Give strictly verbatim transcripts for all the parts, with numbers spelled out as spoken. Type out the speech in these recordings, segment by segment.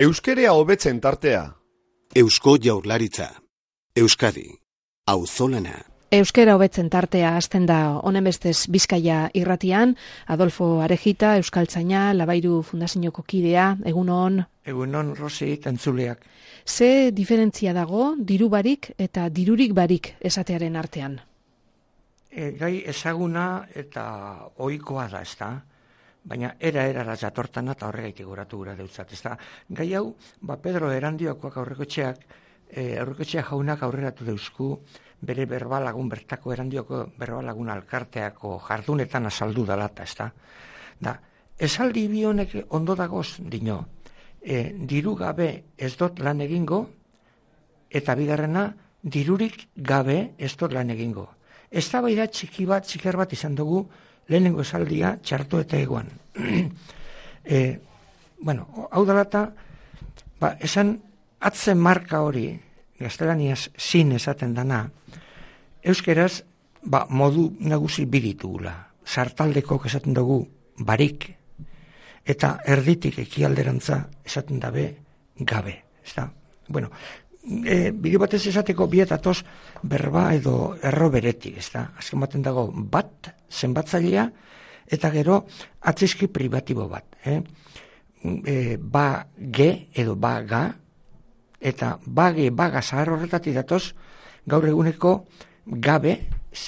Euskerea hobetzen tartea. Eusko Jaurlaritza. Euskadi. Auzolana. Euskera hobetzen tartea hasten da honen bestez Bizkaia irratian. Adolfo Arejita, euskaltzaina, Labairu Fundazioko kidea, egunon. Egunon, Rosi, entzuleak. Ze diferentzia dago diru barik eta dirurik barik esatearen artean? E, gai ezaguna eta ohikoa da, ezta? Baina era-erara jatortana eta horregaitik goratu gura deutzat, ezta? Gai hau, ba Pedro Erandiokoak aurrekotxeak, e, aurrekotxeak jaunak aurreratu deusku, bere berbalagun, bertako Erandioko berbalagun alkarteako jardunetan azaldu dalata, ezta? Da, esaldi bi honek ondo dagoz, dino, e, diru gabe ez dut lan egingo, eta bigarrena, dirurik gabe ez dut lan egingo. Eztabaida txiki bat, txiker bat izan dugu, lehenengo esaldia txarto eta egoan. e, bueno, hau dalata, ba, esan atzen marka hori, gaztelaniaz zin esaten dana, euskeraz ba, modu nagusi biritugula. Sartaldeko esaten dugu barik, eta erditik ekialderantza esaten dabe gabe. Ezta? Bueno, e, bide batez esateko bietatoz berba edo erro beretik, ezta? Azken baten dago bat, zenbatzailea, eta gero atzizki pribatibo bat. Eh? E, ba ge edo ba ga, eta bage baga zahar horretatik datoz, gaur eguneko gabe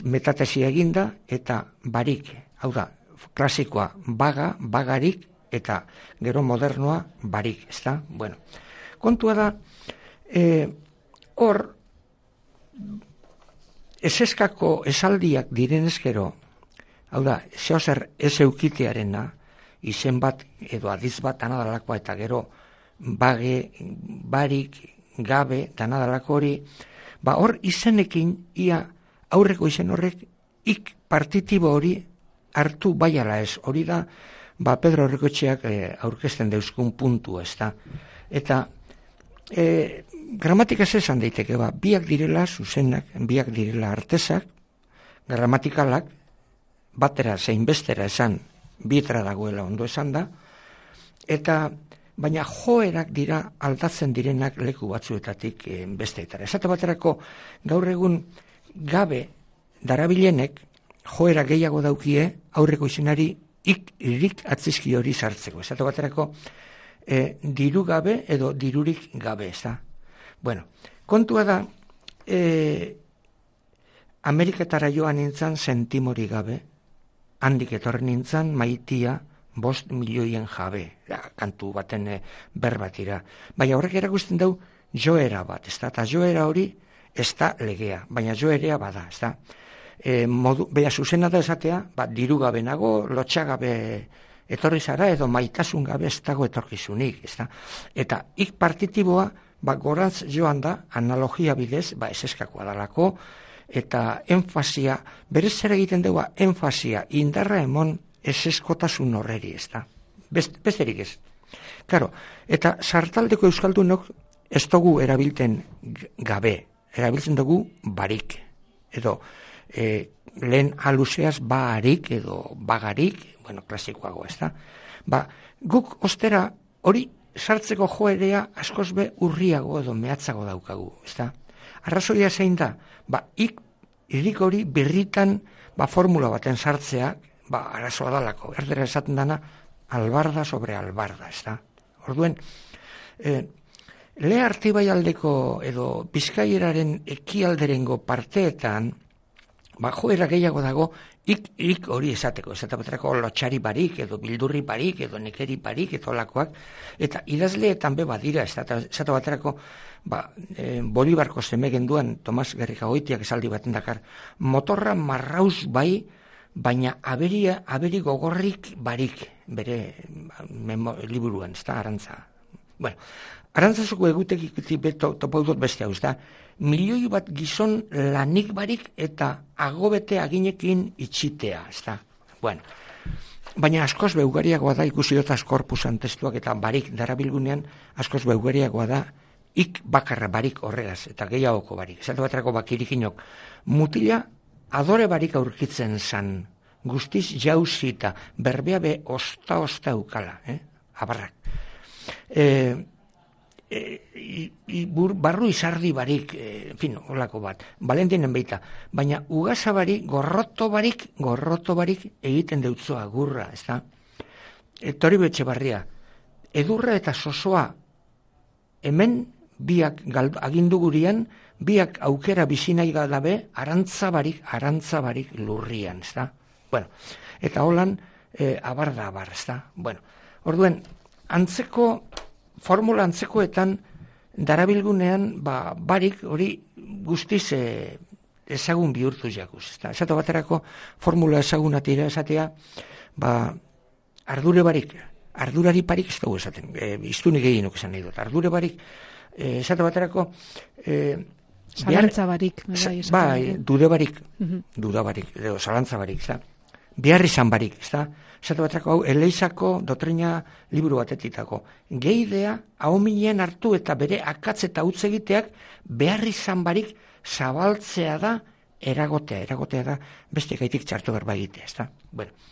metatesi eginda eta barik, hau da, klasikoa baga, bagarik, eta gero modernoa barik, ezta? Bueno, kontua da, e, hor, eseskako esaldiak direnez gero, hau da, zeo zer ez eukitearena, izen bat edo adiz bat anadalakoa eta gero bage, barik, gabe, danadalako hori, ba hor izenekin ia aurreko izen horrek ik partitibo hori hartu baiala ez. Hori da, ba Pedro Errekotxeak e, aurkezten deuskun puntu, ez da. Eta e, gramatikaz esan daiteke, ba, biak direla zuzenak, biak direla artesak, gramatikalak, batera zein bestera esan, bietara dagoela ondo esan da, eta baina joerak dira aldatzen direnak leku batzuetatik e, besteetara. Esate baterako gaur egun gabe darabilenek joera gehiago daukie aurreko izenari ik irik atzizki hori sartzeko. Esate baterako e, diru gabe edo dirurik gabe, ez da? Bueno, kontua da, e, Ameriketara joan nintzen sentimori gabe, handik etorri nintzen maitia bost milioien jabe, da, kantu baten e, berbatira. Baina horrek erakusten dau joera bat, ez da? Eta joera hori ez da legea, baina joerea bada, ez da? E, modu, beha zuzena da esatea, ba, diru gabe nago, lotxagabe etorri zara, edo maitasun gabe ez dago etorkizunik, ez da? Eta ik partitiboa, ba, gorantz joan da, analogia bidez, ba, eseskakoa dalako, eta enfasia, berez zer egiten dugu, enfasia, indarra emon eseskotasun horreri, ez da? Best, besterik ez. Claro, eta sartaldeko euskaldunok ez dugu erabilten gabe, erabiltzen dugu barik, edo e, lehen aluseaz barik edo bagarik, bueno, klasikoago, ez da? Ba, guk ostera hori sartzeko joerea askoz be urriago edo mehatzago daukagu, ez da? Arrazoia zein da, ba, ik, irik hori birritan, ba, formula baten sartzea, ba, arazoa dalako, erdera esaten dana, albarda sobre albarda, ez da? Orduen, e, le Artibai aldeko edo Bizkaieraren ekialderengo parteetan, ba, joera gehiago dago, ik, ik hori esateko, esate baterako lotxari barik, edo bildurri barik, edo nekeri barik, edo lakoak, eta idazleetan be badira, esate baterako, ba, e, Bolibarko zeme genduan, Tomas Gerrikagoitiak esaldi baten dakar, motorra marrauz bai, baina aberia, aberi gogorrik barik, bere memo, liburuan, ez da, arantza. Bueno, arantzazuko egutekik beto, topo dut beste hau, ez da, milioi bat gizon lanik barik eta agobete aginekin itxitea, ez da. Bueno, baina askoz beugariagoa da, ikusi dut askorpusan testuak eta barik darabilgunean, askoz beugariagoa da, ik bakarra barik horregaz, eta gehiagoko barik. Esate baterako bakirikinok, mutila adore barik aurkitzen zan, guztiz jauzita, berbea be osta-osta eukala, eh? Abarrak. E, e, i, i, bur, barru izardi barik, e, en fin, olako bat, Valentinen beita, baina ugasa barik, gorroto barik, gorroto barik egiten deutzoa gurra, ez da? E, Toribio Etxebarria, edurra eta sosoa hemen biak gal, agindu gurian, biak aukera bizinai gabe, arantzabarik, arantzabarik lurrian, ez da? Bueno, eta holan, e, abar da abar, ez da? Bueno, orduen, antzeko, formula antzekoetan, darabilgunean, ba, barik hori guztiz e, ezagun bihurtu jakuz, ez da? Esatu baterako, formula ezagunatira esatea, ba, ardure barik, ardurari parik ez dugu esaten, e, iztunik egin esan nahi dut, ardure barik, e, esatu baterako, e, zalantza barik, bai, dude barik, uh-huh. duda barik, edo zalantza barik, ez da? Behar izan barik, ez da? Esatu baterako, hau, Eleizako doktrina liburu batetitako. Geidea, hau minen hartu eta bere akatz eta utz egiteak, behar izan barik zabaltzea da, eragotea, eragotea da, beste gaitik txartu berba egitea, ez da? Bueno.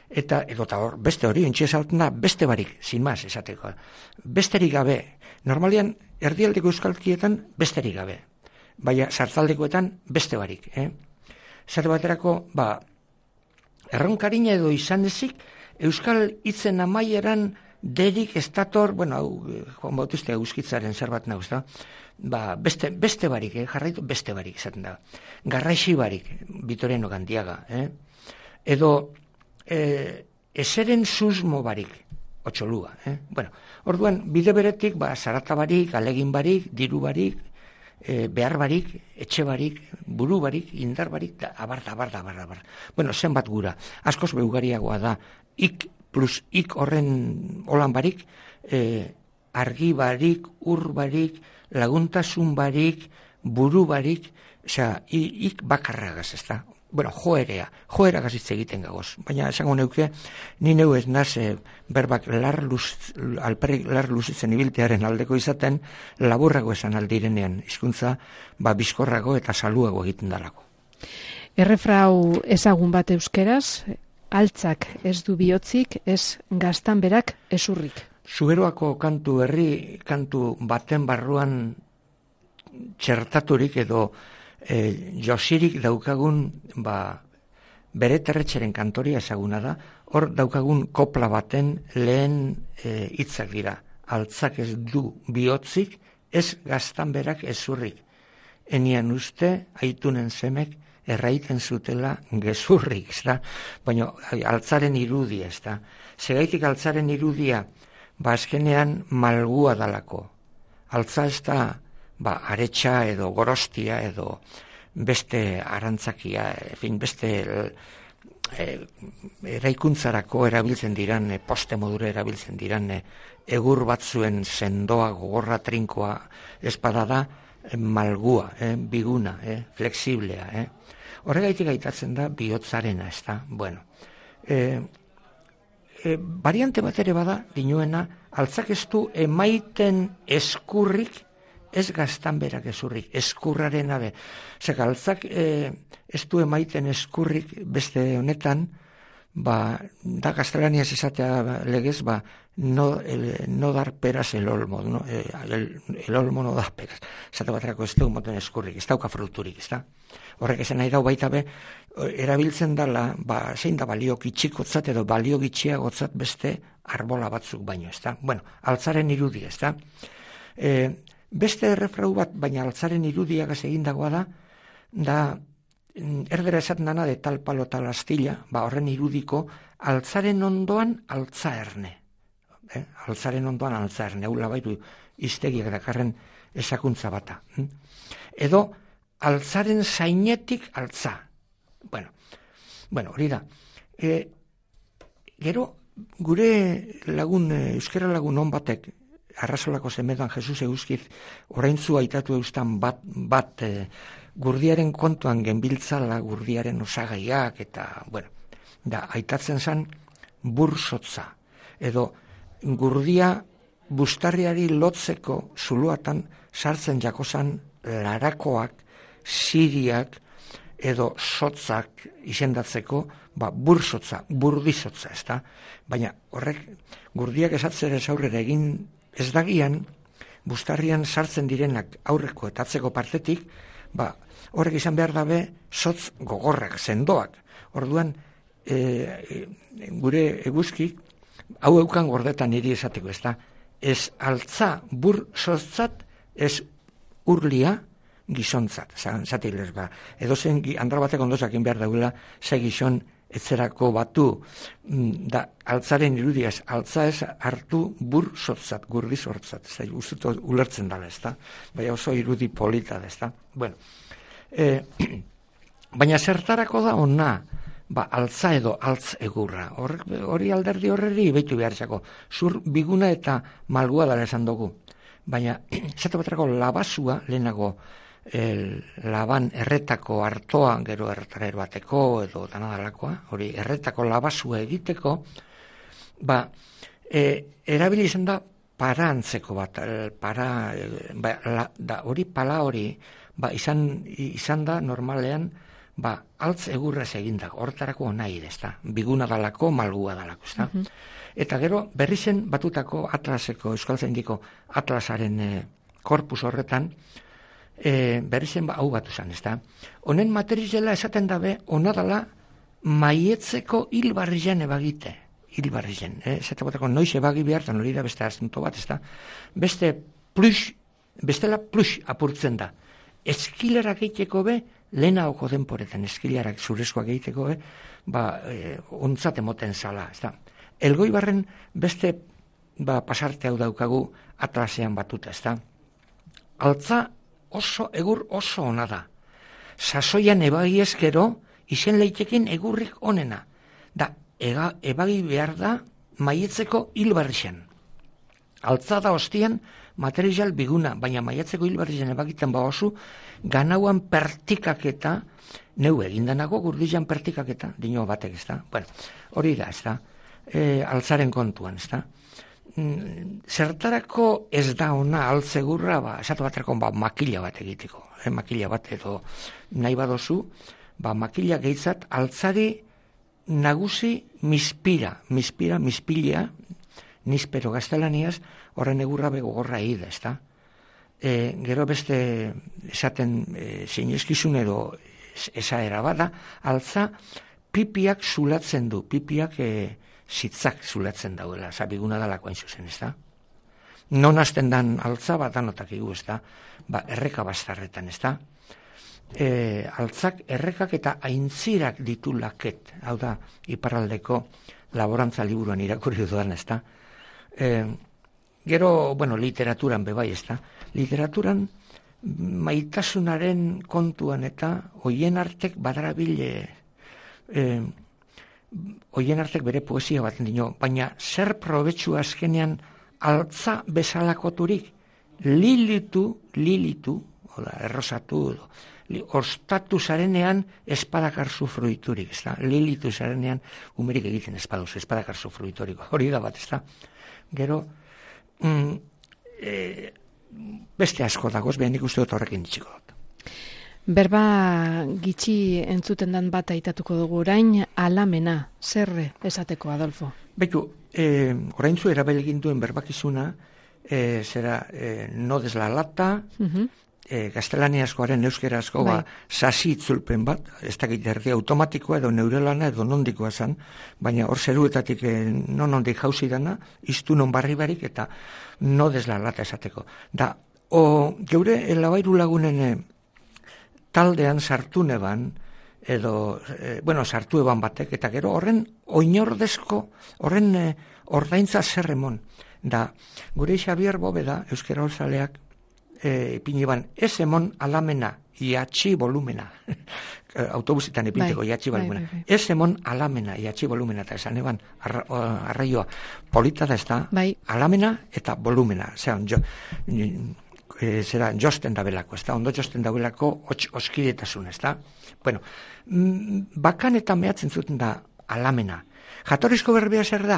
Eta, edo eta hor, beste hori, entxe esalten da, beste barik, sin maz, esateko. Besterik gabe, normalian, erdialdeko euskalkietan, besterik gabe. Baina, sartaldekoetan, beste barik, eh? Esatu baterako, ba, erronkarina edo izan ezik, euskal hitzen amaieran derik estator, bueno, hau, Juan Bautista euskitzaren zerbat nauz da, ba, beste, beste barik, eh, jarraitu, beste barik izaten da. Garraixi barik, Vitoriano Gandiaga, eh? Edo, eh, eseren susmo barik, Otxolua, eh? Bueno, orduan, bide beretik, ba, zarata barik, alegin barik, diru barik, E, behar barik, etxe barik, buru barik, indar barik, da, abar, abar, abar, abar. Bueno, zenbat gura, askoz beugariagoa da, ik plus ik horren holan barik, e, argi barik, ur barik, laguntasun barik, buru barik, osea, ik bakarragaz, ez da? Bueno, joerea, joeragaz hitz egiten gagoz. Baina, esango neuke, ni neu ez naz, e, berbak lar luz, alperrik lar luzitzen ibiltearen aldeko izaten, laburrago esan aldirenean, hizkuntza ba, bizkorrago eta saluago egiten dalako. Errefrau ezagun bat euskeraz, altzak ez du bihotzik, ez gaztan berak ezurrik. Zuberoako kantu herri, kantu baten barruan txertaturik edo E, josirik daukagun ba, bere terretxeren kantoria ezaguna da, hor daukagun kopla baten lehen e, hitzak dira. Altzak ez du bihotzik, ez gaztan berak ezurrik. Enian uste, aitunen semek, erraiten zutela gezurrik, ez da? Baina altzaren irudia, ez da? Segaitik altzaren irudia, ba azkenean malgua dalako. Altza ez da, ba, aretsa edo gorostia edo beste arantzakia, fin, beste e, eraikuntzarako erabiltzen diran, e, poste modura erabiltzen diran, e, egur batzuen sendoa, gogorra, trinkoa, espada da, e, malgua, e, biguna, e, flexiblea. E. Horregaitik aitatzen da bihotzarena, ez da? Bueno, e, e, variante bat ere bada, dinuena, altzak ez du emaiten eskurrik, ez gaztan berak ezurrik, eskurraren abe. Zeka, altzak e, ez du emaiten eskurrik beste honetan, ba, da gaztelaniaz esatea legez, ba, no, el, no dar peras el olmo, no? el, el olmo no dar peras. Zate baterako ez du moten eskurrik, ez dauka fruturik, ez da? Horrek esan nahi dau baita be, erabiltzen dala, ba, zein da balio gitxikotzat edo balio gitxiagotzat beste arbola batzuk baino, ez da? Bueno, altzaren irudi, ez da? E, Beste errefrau bat, baina altzaren irudiagaz egindagoa da, da erdera esaten dana de tal palo tal astilla, ba horren irudiko altzaren ondoan altza erne. Eh? Altzaren ondoan altza erne, hau labaitu iztegiak dakarren esakuntza bata. Hm? Edo altzaren zainetik altza. Bueno, bueno hori da. E, gero, gure lagun, euskera lagun on batek, Arrasolako zemedan Jesus euskiz oraintzu aitatu eustan bat, bat e, gurdiaren kontuan genbiltzala, gurdiaren osagaiak eta, bueno, da, aitatzen zan bursotza. Edo gurdia bustarriari lotzeko zuluatan sartzen jakozan larakoak, siriak edo sotzak izendatzeko, ba, bursotza, burdizotza, ezta? Baina horrek gurdiak esatzere aurrera egin ez dagian, bustarrian sartzen direnak aurreko eta atzeko partetik, ba, horrek izan behar dabe sotz gogorrak, sendoak. Orduan, e, gure eguzkik, hau eukan gordetan niri esateko, ez da, ez altza bur sotzat, ez urlia gizontzat, zatilez, ba, edo zen andra batek ondozakin behar daula, ze gizon etzerako batu, da, altzaren irudiaz, altza ez hartu bur sotzat, gurdi sortzat, ez da, ustuto ulertzen dala, ez da, baina oso irudi polita da, ez da, bueno, e, baina zertarako da ona, ba, altza edo altz egurra, hori alderdi horreri behitu behar zako, zur biguna eta malgua dara esan dugu, baina, zatu baterako labasua, lehenago, el, laban erretako hartoa, gero erretara bateko edo danadalakoa, hori erretako labasua egiteko, ba, e, erabili izan da para antzeko bat, para, ba, la, da, hori pala hori, ba, izan, izan da normalean, ba, altz egurrez egindak, hortarako nahi, ez da, biguna dalako, malgua dalako, ez da. Uh-huh. Eta gero, berri zen batutako atlaseko, euskaltzaindiko atlasaren e, korpus horretan, e, berri zen ba, hau batu zen, ez da. Honen materizela esaten dabe, onadala maietzeko hilbarrizen ebagite, hilbarrizen, eh? Zeta batako noiz ebagi behartan hori da beste asunto bat, ez da. Beste plus, bestela plus apurtzen da. Eskilarak egiteko be, lehenago denporetan eskilarak zurezkoak egiteko be, ba, e, ontzat emoten zala, ez da. Elgoibarren beste ba, pasarte hau daukagu atlasean batuta, ez da. Altza oso, egur oso ona da. Sasoian ebagi ezkero, izen leitekin egurrik onena. Da, ega, ebagi behar da maietzeko hilbarrixen. Altza da ostian material biguna, baina maietzeko hilbarrixen ebagiten ba oso, ganauan pertikaketa, neu egindanago gurdizan pertikaketa, dino batek, ez da. Bueno, hori da, ez da. E, altzaren kontuan, ez da. Mm, zertarako ez da ona altzegurra, ba, esatu baterako ba, makila bat egiteko, eh, makila bat edo nahi badozu, ba, makila gehitzat altzari nagusi mispira, mispira, mispilia, nispero gaztelaniaz, horren egurra begogorra egida, ez da. E, gero beste esaten e, zinezkizun edo esaera bada, altza pipiak zulatzen du, pipiak e, zitzak zulatzen dauela, zabiguna dalako hain zuzen, ez da? Non hasten dan altza bat danotak igu, ez da? Ba, erreka bastarretan, ez da? E, altzak errekak eta aintzirak ditu laket, hau da, iparraldeko laborantza liburuan irakurri dudan, ez da? E, gero, bueno, literaturan bebai, ez da? Literaturan maitasunaren kontuan eta hoien artek badarabile e, hoien artek bere poesia baten dino, baina zer probetxu azkenean altza bezalakoturik lilitu, lilitu, oda, errosatu, li, ostatu zarenean espadakarzu fruiturik, ez da? Lilitu zarenean umerik egiten espaduz, espadakarzu fruiturik, hori da bat, ez da? Gero, mm, e, beste asko dagoz, behan ikustu dut horrekin ditxiko dut. Berba gitxi entzuten dan bat aitatuko dugu orain, alamena, zerre esateko, Adolfo? Beitu, eh, orain zu erabelegin duen berbakizuna, eh, zera, eh, no deslalatta, uh-huh. eh, gaztelaniazkoaren euskerazko, bai. Ba, sasi itzulpen bat, ez dakit erdi automatikoa edo neurelana edo nondikoa zan, baina hor zeruetatik eh, non ondik jauzi dana, iztu non barri barik eta no deslalatta esateko. Da, o, geure elabairu lagunen eh, taldean sartu neban, edo, e, bueno, sartu eban batek, eta gero horren oinordezko, horren e, ordaintza zerremon. Da, gure Xabier Bobeda, euskera holzaleak, e, ipini ban, ez emon alamena, iatxi volumena. Autobusitan ipinteko bai, iatxi volumena. Bai, bai, bai. Ez emon alamena, iatxi volumena, eta esan eban, arra, arraioa, polita da ez da, bai. Alamena eta volumena. Zeran, jo, E, zera josten dabelako, ez da, ondo josten dabelako oskidetasun, ez da. Bueno, bakan eta mehatzen zuten da alamena. Jatorrizko berbea zer da?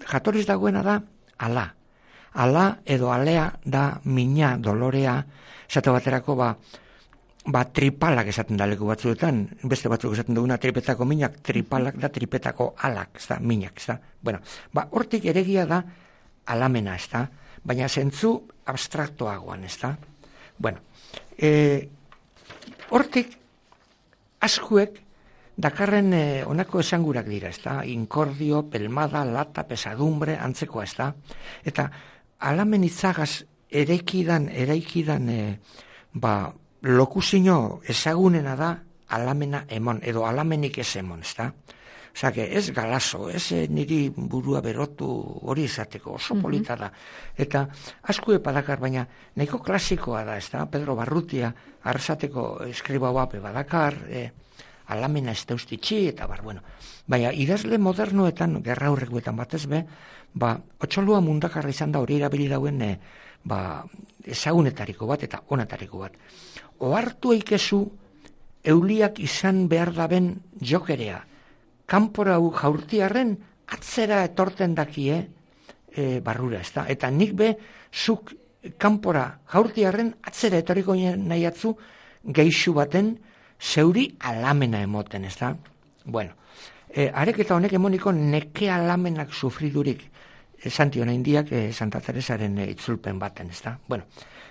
Jatorriz dagoena da ala. Ala edo alea da mina, dolorea, esate baterako ba, ba tripalak esaten da leku batzuetan, beste batzuk esaten duguna tripetako minak, tripalak da tripetako alak, ez da, minak, ez da. Bueno, ba, hortik eregia da alamena, ez da. baina zentzu abstraktoagoan, ez da? Bueno, e, hortik askuek dakarren e, onako esangurak dira, ez da? Inkordio, pelmada, lata, pesadumbre, antzekoa, ez da? Eta alamen itzagaz eraikidan, eraikidan e, ba, lokuzino ezagunena da alamena emon, edo alamenik ez emon, ez da? Osa, ez galazo, ez niri burua berotu hori izateko, oso polita da. Eta asko epadakar, baina nahiko klasikoa da, ez da? Pedro Barrutia, arrasateko eskriba bape badakar, e, alamena ez deustitxi, eta bar, bueno. Baina idazle modernoetan, gerra aurrekoetan batez be, ba, otxolua mundakarra izan da hori erabili dauen e, ba, ezagunetariko bat eta onatariko bat. Ohartu eikezu euliak izan behar daben jokerea, kanpora jaurtiarren atzera etorten dakie e, barrura, ez da? Eta nik be, zuk kanpora jaurtiarren atzera etoriko nahi atzu geixu baten zeuri alamena emoten, ez da? Bueno, e, areketa honek emoniko neke alamenak sufridurik Santi Onaindiak e, Santa Teresaren e, itzulpen baten, ez da? Bueno,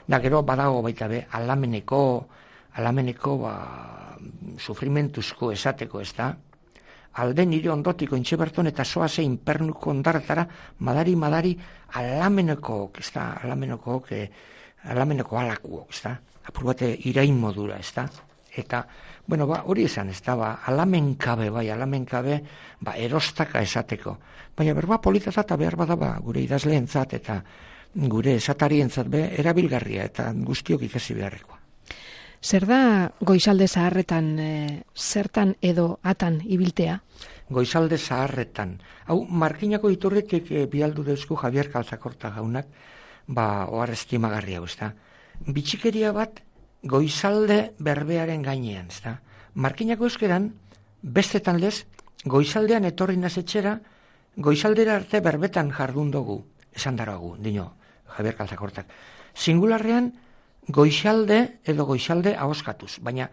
da gero badago baita be, alameneko, alameneko ba, sufrimentuzko esateko, ez da? Alde nire ondotiko intxeberton eta soaze inpernuko ondartara madari-madari alameneko, ez da? Alameneko, e, alameneko alakuok, ez da? Apur bate irain modura, ez da? Eta, bueno, ba, hori esan, ez da, ba, alamenkabe, bai, alamenkabe, ba, erostaka esateko. Baina berba politata eta behar bada, ba, gure idazleentzat eta gure esatarientzat be, erabilgarria eta guztiok ikasi beharrekoa. Zer da goizalde zaharretan, e, zertan edo atan ibiltea? Goizalde zaharretan. Hau, markinako iturretik e, bialdu deuzku Javier Kalzakorta jaunak, ba, ohar estimagarria, ez da. Bitxikeria bat, goizalde berbearen gainean, ez da. Markinako euskeran, bestetan lez, goizaldean etorri nazetxera, goizaldera arte berbetan jardun dugu, esan daroagu, dino, Javier Kalzakortak. Singularrean, goizalde edo goizalde ahoskatuz, baina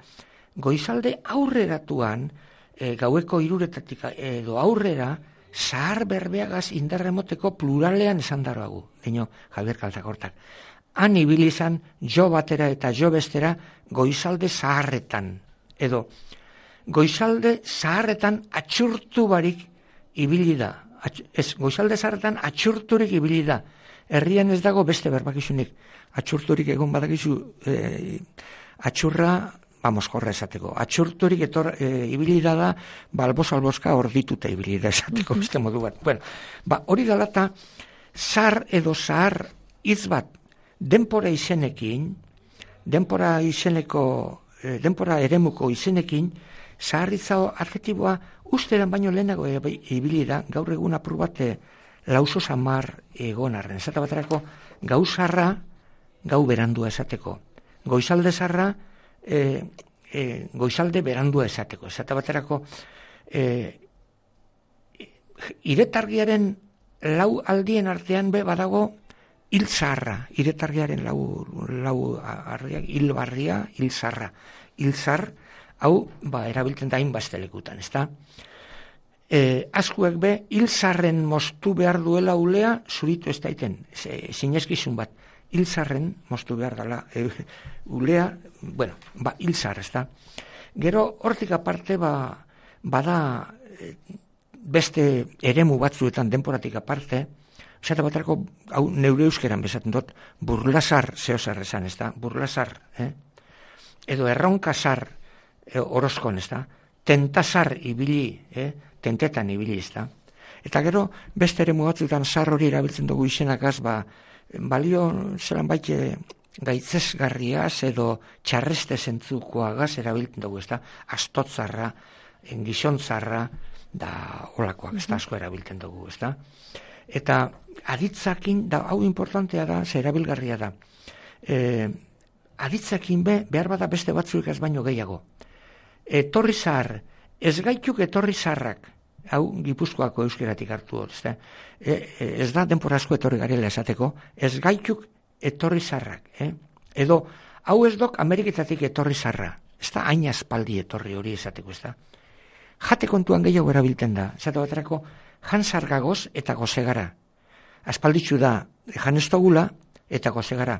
goizalde aurreratuan, e, gaueko iruretatik edo aurrera, zahar berbeagaz indarremoteko pluralean esan daroagu, dino, Javier Kalzakortak. Han ibilizan jo batera eta jo bestera goizalde zaharretan. Edo, goizalde zaharretan atxurtu barik ibili da. Ez, goizalde zaharretan atxurturik ibili da. Herrian ez dago beste berbakizunik. Atxurturik egon badakizu e, atxurra, vamos, jorra esateko. Atxurturik etor, e, ibili da da, balboz-alboska ordituta ibili da esateko beste modu bat. Bueno, ba, hori dalata, zahar edo zahar hitz bat, denpora izenekin, denpora izeneko, eh, denpora eremuko izenekin, zaharritza adjetiboa usteran baino lehenago ibili da, gaur egun apur bate lauso samar egon arren. Zata baterako, gau zarra, gau berandua esateko. Goizalde zarra, e, e, goizalde berandua esateko. Zata baterako, e, iretargiaren lau aldien artean be badago, hil zarra, iretargiaren lau, lau arria, hil barria, hil zarra. Hil zar, hau, ba, erabiltzen da hainbazte lekutan, ez da? E, askuek be, hil zarren moztu behar duela ulea, zuritu ez daiten, zinezkizun bat. Hil zarren moztu behar dela e, ulea, bueno, ba, hil zar, ez da? Gero, hortik aparte, ba, bada beste eremu batzuetan denporatik aparte, zata batarako, hau neure euskeran bezaten dut, burlasar zehozar esan, ez da? Burlasar, eh? Edo erronkasar eh, orozkon, ez da? Tentasar ibili, eh? Tentetan ibili, ez da? Eta gero, beste ere mugatzutan zar hori erabiltzen dugu izenakaz, ba, balio zelan baite gaitzesgarriaz edo txarreste zentzukoagaz erabiltzen dugu, ez da? Astotzarra, gizontzarra, da olakoak, ez da, asko erabiltzen dugu, ez da? Eta aditzakin, da, hau importantea da, ze erabilgarria da. E, aditzakin be, behar bada beste batzuek ez baino gehiago. Etorri zahar, ez gaituk etorri zaharrak, hau Gipuzkoako euskeratik hartu dut, ez da, e, ez da denpora asko etorri garela esateko, ez gaituk etorri zaharrak, eh? Edo, hau ez dok Ameriketatik etorri zaharra, ez da hain aspaldi etorri hori esateko, ez da. Jate kontuan gehiago erabiltzen da, esate baterako, jansargagoz eta gozegara. aspalditxu da janestogula eta gozegara.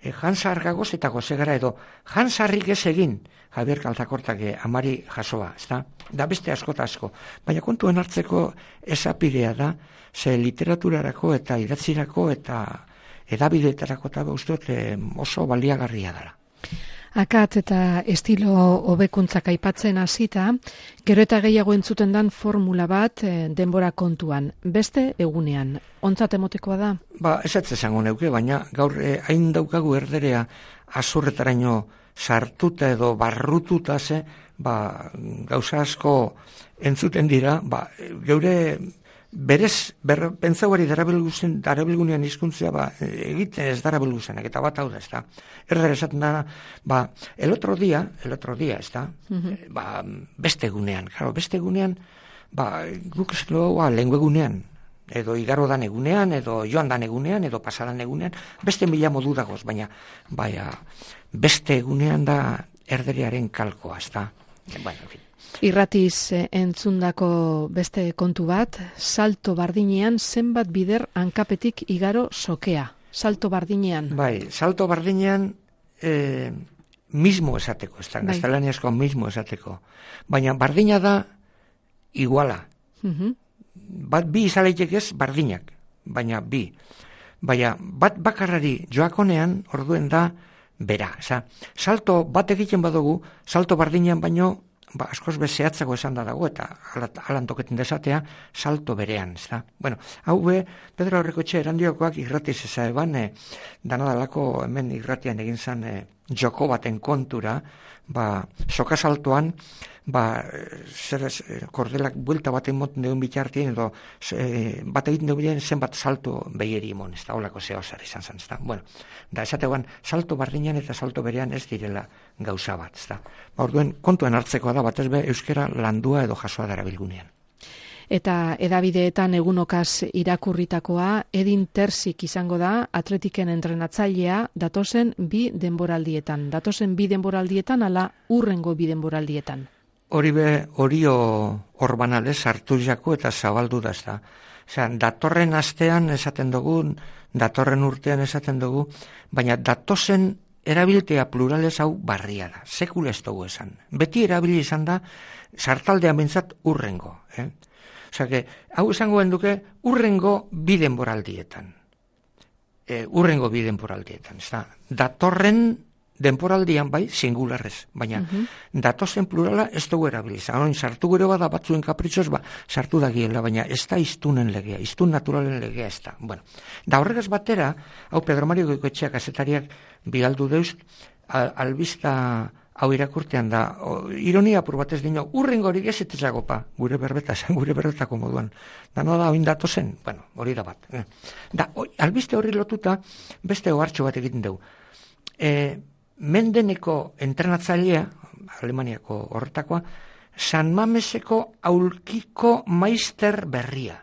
E, jansargagoz eta gozegara edo jansarrik ez egin Javier Kaltakortak amari jasoa, ez da? Da beste asko eta asko. Baina kontuen hartzeko esapidea da, ze literaturarako eta idatzirako eta edabideetarako eta usteot oso baliagarria dela. Akat eta estilo hobekuntzak aipatzen hasita, gero eta gehiago entzuten dan formula bat denbora kontuan, beste egunean. Ontzat emotekoa da? Ba, ez ez esango neuke, baina gaur eh, hain daukagu erderea azurretaraino sartuta edo barrututa ze, ba, gauza asko entzuten dira, ba, geure berez, ber, pentsauari darabilguzen, darabilgunean hizkuntzea ba, egiten ez darabilguzenak, eta bat hau da, ez da. Erder esaten da, ba, el otro día, el otro día, ez da, uh-huh. ba, beste egunean, claro, beste egunean, ba, guk ez dugu, ba, lengua egunean, edo igaro dan egunean, edo joan dan egunean, edo pasadan egunean, beste mila modu dagoz, baina, baina, beste egunean da erderearen kalkoa, ez da. Bueno, en fin. Irratiz entzundako beste kontu bat, salto bardinean zenbat bider hankapetik igaro sokea. Salto bardinean. Bai, salto bardinean eh, mismo esateko, ez da, bai. Gaztelaniazko mismo esateko. Baina bardina da iguala. Uh-huh. Bat bi izaleitek ez bardinak, baina bi. Baina bat bakarrari joakonean orduen da bera. Eza, salto bat egiten badugu, salto bardinean baino ba, askoz bezeatzako esan da dago, eta alan toketen desatea, salto berean, ez da. Bueno, hau be, Pedro Aurrekoetxe erandiokoak irratiz eza eban, e, danadalako hemen irratian egin zan e, joko baten kontura, ba, soka saltoan, ba, zer ez, kordelak buelta baten moten deun bitartien, edo e, bat egiten deun zenbat salto behieri imon, ez da, holako zeo zer izan zan, ez da. Bueno, da, esategoan, salto bardinean eta salto berean ez direla gauza bat, ez da. Ba, orduen, kontuen hartzekoa da, batez be, euskera landua edo jasoa darabilgunean. Eta edabideetan egunokaz irakurritakoa, Edin Terzik izango da, atletiken entrenatzailea, datozen bi denboraldietan. Datozen bi denboraldietan, ala urrengo bi denboraldietan. Hori be, horio orbanale sartu jako eta zabaldu da, ez da. Osea, datorren astean esaten dugu, datorren urtean esaten dugu, baina datozen erabiltea plurales hau barria da. Sekula ez dugu esan. Beti erabili izan da, sartaldea bentsat urrengo. Eh? Osea, que, hau esango duke urrengo bi denboraldietan. E, urrengo bi denboraldietan. Ez da, datorren denporaldian bai, singularrez, baina uh-huh. datozen plurala ez dugu erabiliz. Hain sartu gero bada batzuen kapritxoz, ba, sartu da giela, baina ez da iztunen legea, iztun naturalen legea ez da. Bueno, da horregaz batera, hau Pedro Mario Goikoetxeak azetariak bigaldu deuz, al, albista hau irakurtean da, o, ironia apur batez dino, urrengo hori gezetezago pa, gure berbeta, gure berbetako moduan. Da no da, oin datozen, bueno, hori da bat. Eh. Da, o, albiste horri lotuta, beste ohartxo bat egiten dugu. Eh, Mendeneko entrenatzailea, Alemaniako horretakoa, San Mameseko aulkiko maister berria.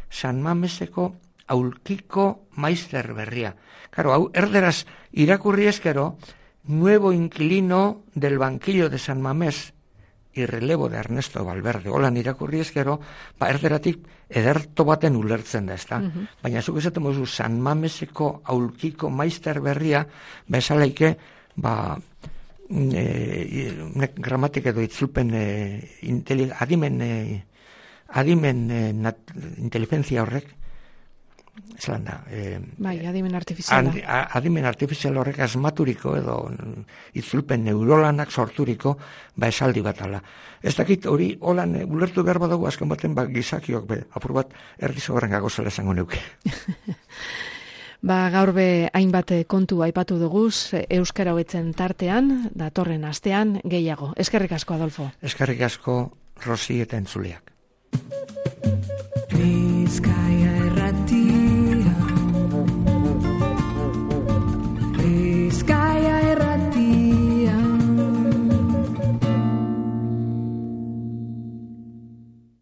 San Mameseko aulkiko maister berria. Claro, hau erderaz irakurri eskero, nuevo inquilino del banquillo de San Mamés y relevo de Ernesto Valverde. Holan irakurri eskero, ba erderatik ederto baten ulertzen da, ezta? Uh-huh. Baina zuk esaten mozu San Mameseko aulkiko maister berria, bezalaike, ba, e, gramatik edo itzulpen e, inteli, adimen, e, adimen e, nat, inteligentzia horrek, zelan da, e, bai, adimen artifiziala. Ad, adimen artifizial horrek asmaturiko edo itzulpen neurolanak sorturiko, ba esaldi bat ala. Ez dakit hori holan e, ulertu behar badago azken baten ba, gizakiok be, apur bat erdizo horren gagozela esango neuke. Ba, gaur be hainbat kontu aipatu duguz, euskara hobetzen tartean, datorren astean gehiago. Eskerrik asko, Adolfo. Eskerrik asko, Rosi eta entzuleak.